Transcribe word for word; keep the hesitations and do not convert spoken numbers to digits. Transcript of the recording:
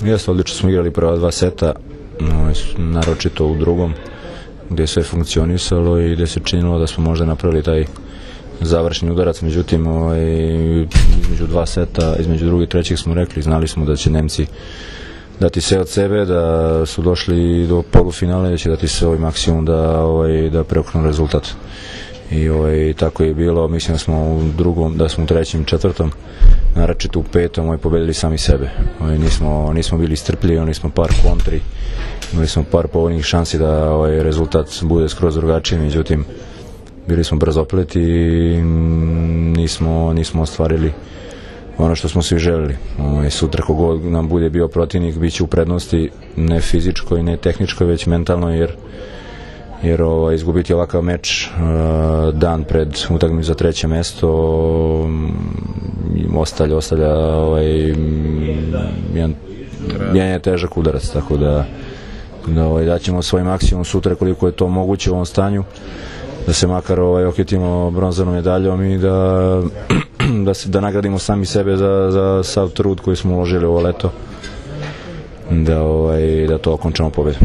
Jeste, odlično smo igrali prva dva seta, naročito u drugom, gdje je sve funkcionisalo i gdje se činilo da smo možda napravili taj završni udarac. Međutim, ovaj, između dva seta, između drugog i trećeg smo rekli, znali smo da će Nemci dati sve od sebe, da su došli do polufinale, da će dati sve ovaj maksimum da, ovaj, da preoknu rezultat. I ovaj, tako je bilo. Mislim da smo u drugom, da smo u trećem i četvrtom, naročito u petom, ovaj, pobedili sami sebe. Ovaj, nismo, nismo bili strpljivi, oni smo par kontri, imali smo par povoljnih šansi da ovaj, rezultat bude skroz drugačiji, međutim bili smo brzopleti i nismo, nismo ostvarili ono što smo svi želeli. Ovaj, sutra kogod nam bude bio protivnik bit će u prednosti, ne fizičkoj, ne tehničkoj, već mentalno, jer jer ovaj, izgubiti ovakav meč uh, dan pred utakmicu za treće mesto um, ostavlja, ostavlja ovaj, jedan, jedan težak udarac, tako da, da ovaj, daćemo svoj maksimum sutra koliko je to moguće u ovom stanju, da se makar ovaj, okitimo bronzanom medaljom i da, da, se, da nagradimo sami sebe za, za sav trud koji smo uložili ovo leto, da, ovaj, da to okončamo pobedu.